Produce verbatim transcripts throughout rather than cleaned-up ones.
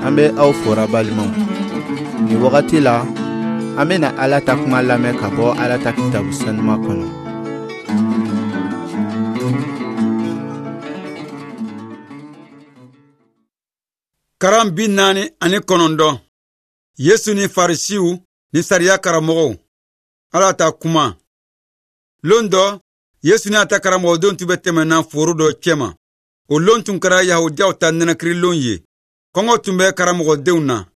An bɛ aw fora balimaw. Nin wagati la, an bɛna Ala ta kuma lamɛn ka bɔ Ala ta kitabu sanuma kɔnɔ. Karan bi naani ani kɔnɔntɔn. Yesu ni Farisiw ni sariya karamɔgɔw. Ala ta kuma. Lon dɔ, Yesu ni a ta karamɔgɔdenw tun bɛ tɛmɛna foro dɔ cɛma. O lon tun kɛra Yahudiyaw ta nɛnɛkirilon ye. Kɔngɔ tun bɛ karamɔgɔdenw na.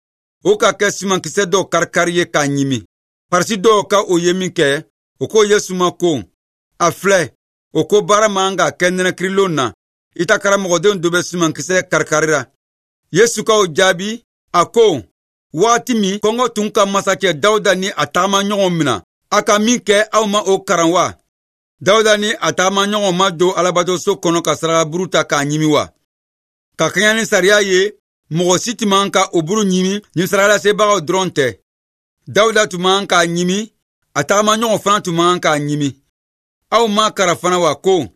O ka kɛ sumankisɛ dɔw karikari ye k'a ɲimi. Farisi dɔw ka o ye min kɛ, o ko Yesu ma ko, a filɛ, o ko baara man ka kɛ nɛnɛkirilon na. I ta karamɔgɔdenw dɔ bɛ sumankisɛ karikarira. Yesu k'o jaabi, a ko, waati min kɔngɔ tun ka masakɛ Dawuda ni a tagamaɲɔgɔnw mina, a ka min kɛ aw ma o karan wa? Dawuda ni a tagamaɲɔgɔnw ma don Alabatoso kɔnɔ ka sarakaburu ta k'a ɲimi wa? Ka kɛɲɛ ni sariya ye, mɔgɔ si tun man ka o buru ɲimi ni sarakalasebagaw dɔrɔn tɛ. Dawuda tun man k'a ɲimi, a tagamaɲɔgɔnw fana tun man k'a ɲimi. Aw ma karan fana wa ko,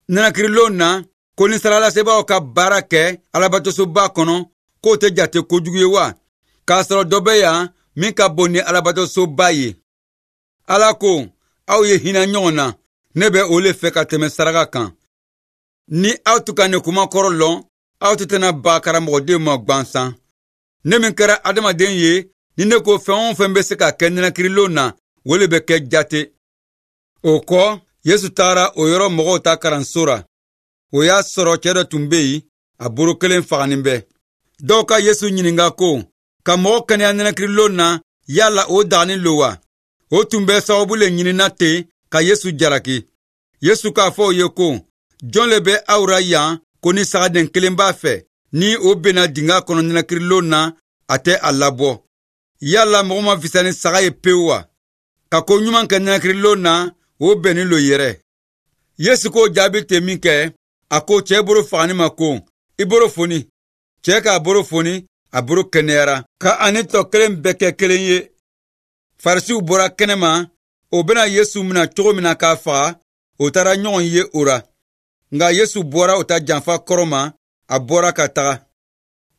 nɛnɛkirilon na, ko ni sarakalasebagaw ka baara kɛ Alabatosoba kɔnɔ, k'o tɛ jate kojugu ye wa? K'a sɔrɔ dɔ bɛ yan min ka bon ni Alabatosoba ye. Ala ko, aw ye hinɛ ɲɔgɔn na, ne bɛ o le fɛ ka tɛmɛ saraka kan. Ni aw tun ka nin kuma kɔrɔ lɔn, aw tɛ tɛna ba karamɔgɔdenw ma gansan. Ne min kɛra adamaden ye, ni ne ko fɛn o fɛn bɛ se ka kɛ nɛnɛkirilon na, o le bɛ kɛ jate. O kɔ, Yesu taara o yɔrɔ mɔgɔw ta karanso ra. O y'a sɔrɔ cɛ dɔ tun bɛ yen, a bolo kelen faganin bɛ. Dɔw ka Yesu ɲininka ko, ka mɔgɔ kɛnɛya nɛnɛkirilon na, yala o daganin lo wa? O tun bɛ sababu le ɲinina ten ka Yesu jalaki. Yesu k'a fɔ o ye ko, jɔn le bɛ aw ra yan ko ni sagaden kelen b'a fɛ, ni o benna dinga kɔnɔ nɛnɛkirilon na, a tɛ a labɔ. Yala mɔgɔ ma fisa ni saga ye pewu wa? Ka ko ɲuman kɛ nɛnɛkirilon na, o bɛnnin lo yɛrɛ. Yesu k'o jaabi ten min kɛ, a ko cɛ bolo fagani ma ko, i bolo foni. Cɛ k'a bolo foni, a bolo kɛnɛyara, ka ani tɔ kelen bɛɛ kɛ kelen ye. Farisiw bɔra kɛnɛma, o bɛna Yesu mina cogo min na k'a faga, o taara ɲɔgɔn ye o ra. Nka Yesu bɔra o ta janfa kɔrɔ ma, a bɔra ka taga.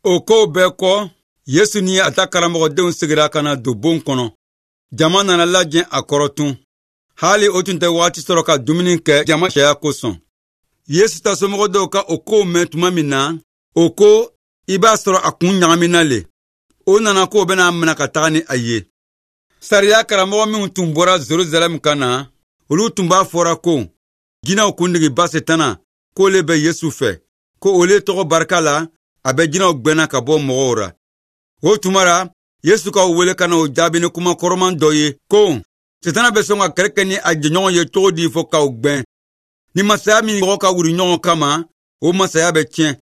O kow bɛɛ kɔ, Yesu ni a ta karamɔgɔdenw seginna ka na don bon kɔnɔ. Jama nana lajɛ a kɔrɔ tun. Hali o tun tɛ waati sɔrɔ ka dumuni kɛ jama caya kosɔn. Yesu ta somɔgɔ dɔw ka o kow mɛn tuma min na, o ko, i b'a sɔrɔ a kun ɲagamina le. O nana k'o bɛna a minɛ ka taga ni a ye. Sariya karamɔgɔ minw tun bɔra Jerusalɛm ka na, olu tun b'a fɔra ko, jinɛw kuntigiba Setana, k'o le bɛ Yesu fɛ, ko o le tɔgɔ barika la, a bɛ jinɛw gbɛnna ka bɔ mɔgɔw ra. O tuma la, Yesu k'aw wele ka na o jaabi ni kuma kɔrɔman dɔ ye ko, Setana bɛ sɔn ka kɛlɛ kɛ ni a jɛɲɔgɔn ye cogo di fɔ k'aw gbɛn? Ni masaya min mɔgɔ ka wuli ɲɔgɔn kama, o masaya bɛ tiɲɛ.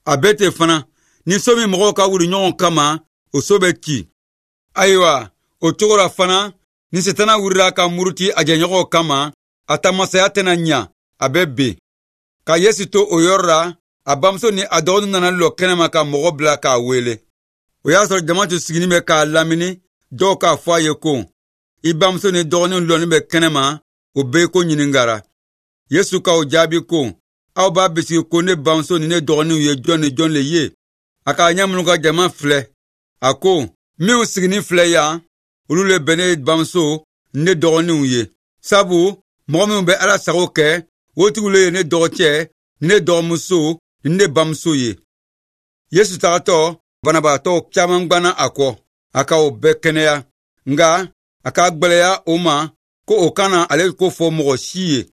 A bɛ ten fana, ni so min mɔgɔw ka wuli ɲɔgɔn kama, o so bɛ ci. Ayiwa, o cogo la fana, ni Setana wulila ka muruti a jɛɲɔgɔnw kama, a ta masaya tɛna ɲa, a bɛ ben. Ka Yesu to o yɔrɔ la, a bamuso ni a dɔgɔninw nana lɔ kɛnɛma ka mɔgɔ bila k'a wele. O y'a sɔrɔ jama tun sigilen bɛ k'a lamini, dɔw k'a fɔ a ye ko, i bamuso ni dɔgɔninw lɔnin bɛ kɛnɛma, o bɛɛ ko ɲininkara. Yesu k'o jaabi ko, aw b'a bisigi ko ne bamuso ni ne dɔgɔninw ye jɔn ni jɔn le ye? A k'a ɲɛ minnu ka jama filɛ, a ko, minw siginin filɛ yan, olu le bɛ ne bamuso ni ne dɔgɔninw ye. Sabu mɔgɔ minw bɛ Ala sago kɛ, o tigiw le ye ne dɔgɔcɛ ni ne dɔgɔmuso ni ne bamuso ye. Yesu tagatɔ, banabaatɔ caman gwanna a kɔ, a ka o bɛɛ kɛnɛya. Nka a k'a gwɛlɛya o ma ko o kana ale ko fɔ mɔgɔ si ye.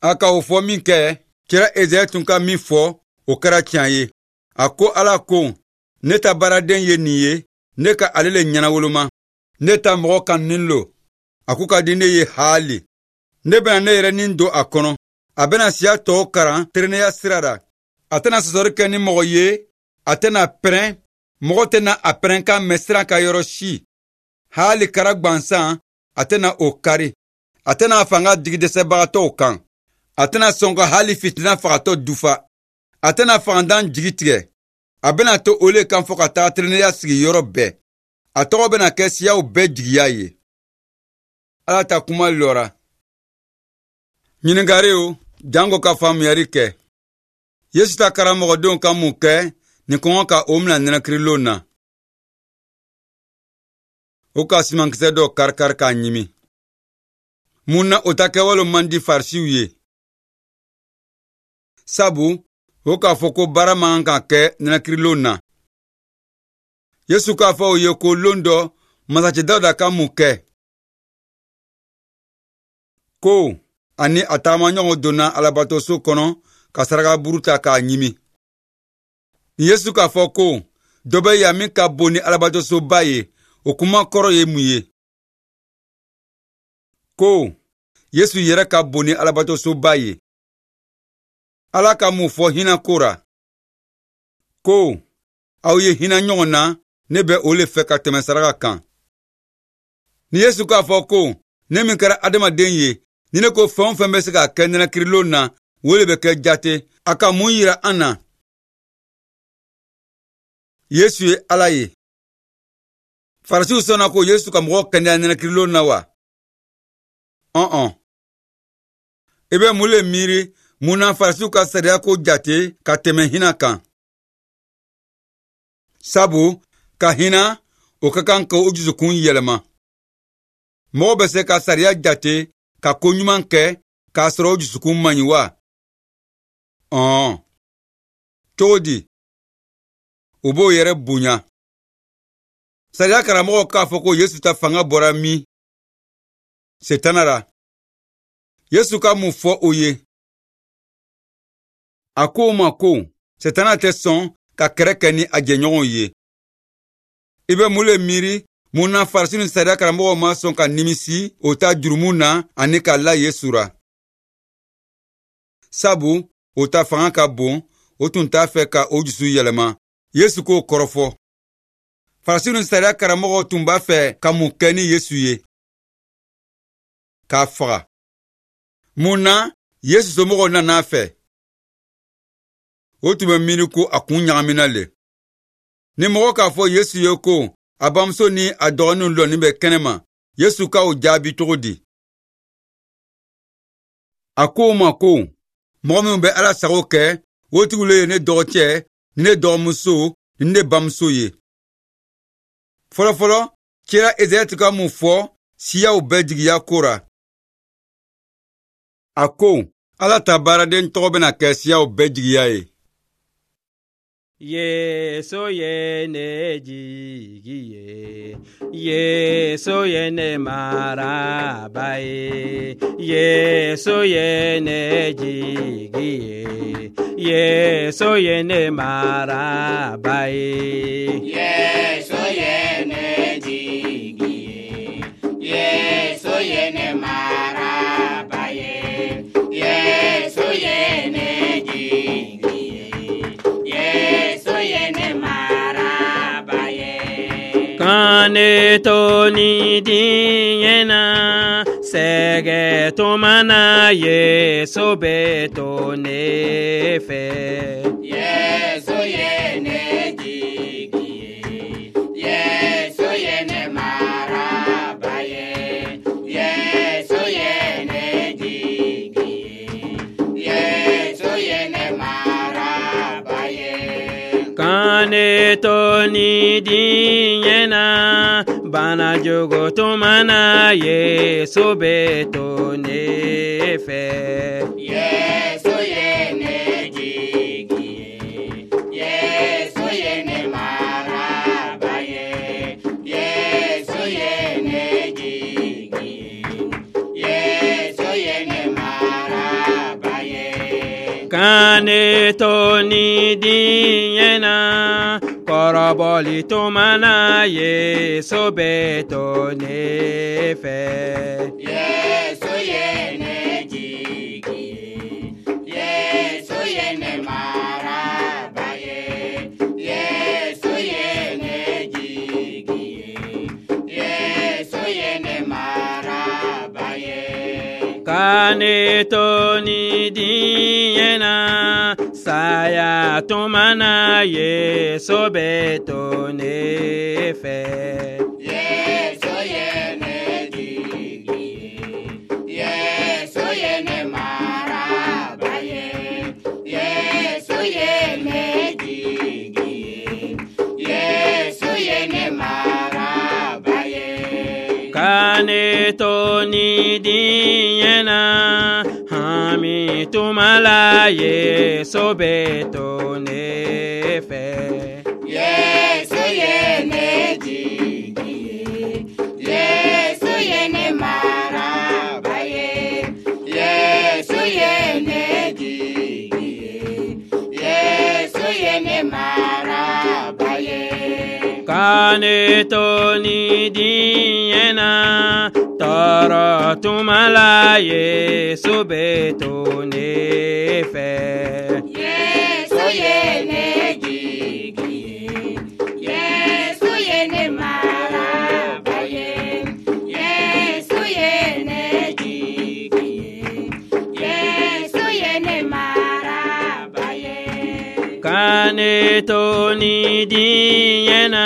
A ka o fɔ min kɛ, kira Ezayi tun ka min fɔ, o kɛra tiɲɛ ye. A ko Ala ko, ne ta baaraden ye nin ye, ne ka ale le ɲɛnawoloma. Ne ta mɔgɔ kanunin lo, a ko ka di ne ye haali. Ne bɛna ne yɛrɛ nin don a kɔnɔ. A bɛna siya tɔw karan tilennenya sira la. A tɛna sɔsɔli kɛ ni mɔgɔ ye, a tɛna pɛrɛn, mɔgɔ tɛna a pɛrɛnkan mɛn sira kan yɔrɔ si. Haali kara gwansan, a tɛna o kari. A tɛna a fanga digi dɛsɛbagatɔw kan. A tɛna sɔn ka hali fitina fagatɔ dufa. A tɛna fangantan jigi tigɛ. A bɛna to o le kan fɔ ka taga tilennenya sigi yɔrɔ bɛɛ. A tɔgɔ bɛna kɛ siyaw bɛɛ jigiya ye. Ala ta kuma lɔra. Ɲininkariw janko ka faamuyali kɛ. Yesu ta karamɔgɔdenw ka mun kɛ nin kɔngɔ ka o mina nɛnɛkirilon na? O ka simankisɛ dɔ karikari k'a ɲimi. Mun na o ta kɛwale man di Farisiw ye? Sabu o k'a fɔ ko baara man kan ka kɛ nɛnɛkirilon na. Yesu k'a fɔ o ye ko lon dɔ masakɛ Dawuda ka mun kɛ? Ko ani a taamaɲɔgɔn donna alabatoso kɔnɔ ka saraka buru ta k'a ɲimi. Ni Yesu k'a fɔ ko dɔ bɛ yan min ka bon ni alabatosoba ye, o kuma kɔrɔ ye mun ye? Ko Yesu yɛrɛ ka bon ni alabatosoba ye. Ala ka mun fɔ hinɛ ko ra? Ko aw ye hinɛ ɲɔgɔn na, ne bɛ o le fɛ ka tɛmɛ saraka kan. Ni Yesu k'a fɔ ko ne min kɛra adamaden ye, ni ne ko fɛn o fɛn bɛ se ka kɛ nɛnɛkirilon na, o le bɛ kɛ jate. A ka mun yira an na? Yesu ye Ala ye. Farisiw sɔnna ko Yesu ka mɔgɔ kɛnɛya nɛnɛkirilon na wa? Ɔn-ɔn. I bɛ mun le miiri mun na Farisiw ka sariya ko jate ka tɛmɛ hinɛ kan? Sabu ka hinɛ, o ka kan ka o dusukun yɛlɛma. Mɔgɔ bɛ se ka sariya jate ka ko ɲuman kɛ k'a sɔrɔ o dusukun man ɲi wa? Ɔn. Cogo di? O b'o yɛrɛ bonya. Sariya karamɔgɔw k'a fɔ ko Yesu ta fanga bɔra min? Setana ra. Yesu ka mun fɔ o ye? A ko o ma ko Setana tɛ sɔn ka kɛrɛ kɛ ni a jɛɲɔgɔnw ye. I bɛ mun le miiri mun na Farisi ni sariya karamɔgɔw ma sɔn ka nimisi o ta jurumu na ani ka la Yesu ra? Sabu o ta fanga ka bon, o tun t'a fɛ ka o dusu yɛlɛma. Yesu k'o kɔrɔfɔ. Farisi ni sariya karamɔgɔw tun b'a fɛ ka mun kɛ ni Yesu ye? K'a faga. Mun na Yesu somɔgɔw nana a fɛ? O tun bɛ miiri ko a kun ɲagamina le. Ni mɔgɔ k'a fɔ Yesu ye ko a bamuso ni a dɔgɔninw lɔnin bɛ kɛnɛma, Yesu ka o jaabi cogo di? A ko o ma ko mɔgɔ minnu bɛ Ala sago kɛ, o tigiw le ye ne dɔgɔcɛ ni ne dɔgɔmuso ni ne bamuso ye. Fɔlɔfɔlɔ, cira Ezayi tun ka mun fɔ siyaw bɛɛ jigiya ko ra? A ko Ala ta baaraden tɔgɔ bɛna kɛ siyaw bɛɛ jigiya ye. Yesu ye ne jigi ye, Yesu ye ne maraba ye, Yesu ye ne jigi ye, Yesu ye ne maraba ye. Yesu ye ne jigi ye, Yesu ye ne maraba ye, Yesu ye ne jigi ye, Yesu ye ne maraba ye. Ka ne to ni diɲɛ na, sɛgɛ tuma na, Yesu bɛ to ne fɛ. Yesu ye ne jigi ye, Yesu ye ne maraba ye, Yesu ye ne jigi ye, Yesu ye ne maraba ye. Ka ne to ni diɲɛ na, bana jugu tuma na, Yesu bɛ to ne fɛ. Yesu ye ne jigi ye, Yesu ye ne maraba ye, Yesu ye ne jigi ye, Yesu ye ne maraba ye. Ka ne to ni diɲɛ na, kɔrɔbɔli tuma na, Yesu bɛ to ne fɛ. Yesu ye ne jigi ye, Yesu ye ne maraba ye, Yesu ye ne jigi ye, Yesu ye ne maraba ye. Ka ne to ni diɲɛ na, saya tuma na, Yesu bɛ to ne fɛ. Yesu ye ne jigi ye, Yesu ye ne maraba ye, Yesu ye ne jigi ye, Yesu ye ne maraba ye. ni diɲɛ na, hami tuma la Yesu bɛ to ne fɛ. Yesu ye ne jigi ye, Yesu ye ne maraba ye, Yesu ye ne jigi ye, Yesu ye ne maraba ye. Ka ne to ni diɲɛ na, tɔɔrɔ tuma la Yesu bɛ to ne fɛ. Yesu ye ne jigi ye, Yesu ye ne maraba ye, Yesu ye ne jigi ye, Yesu ye ne maraba ye. Ka ne to ni diɲɛ na,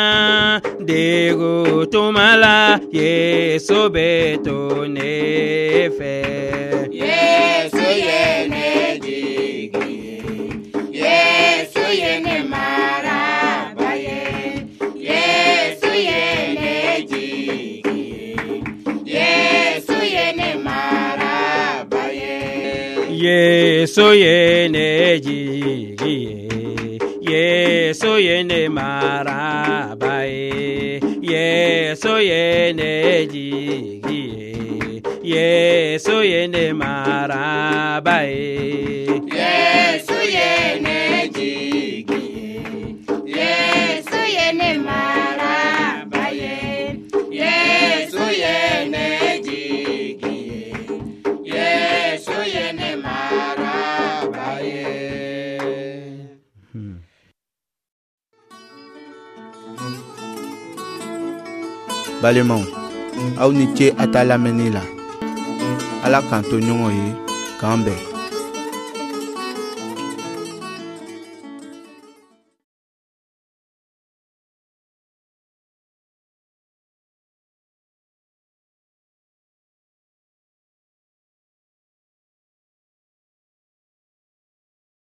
degun tuma la Yesu bɛ to ne fɛ. Yesu ye ne jigi ye, Yesu ye ne maraba ye, Yesu ye ne jigi ye, Yesu ye ne maraba ye. Yesu ye ne jigi ye, Yesu ye ne maraba ye, Yesu ye ne jigi ye, Yesu ye ne maraba ye. Yesu ye ne jigi ye, Yesu ye ne maraba ye, Yesu ye ne jigi ye, Yesu ye ne maraba ye. Balimaw, aw ni ce a ta lamɛnni la. Ala k'an to ɲɔgɔn ye, k'an bɛn.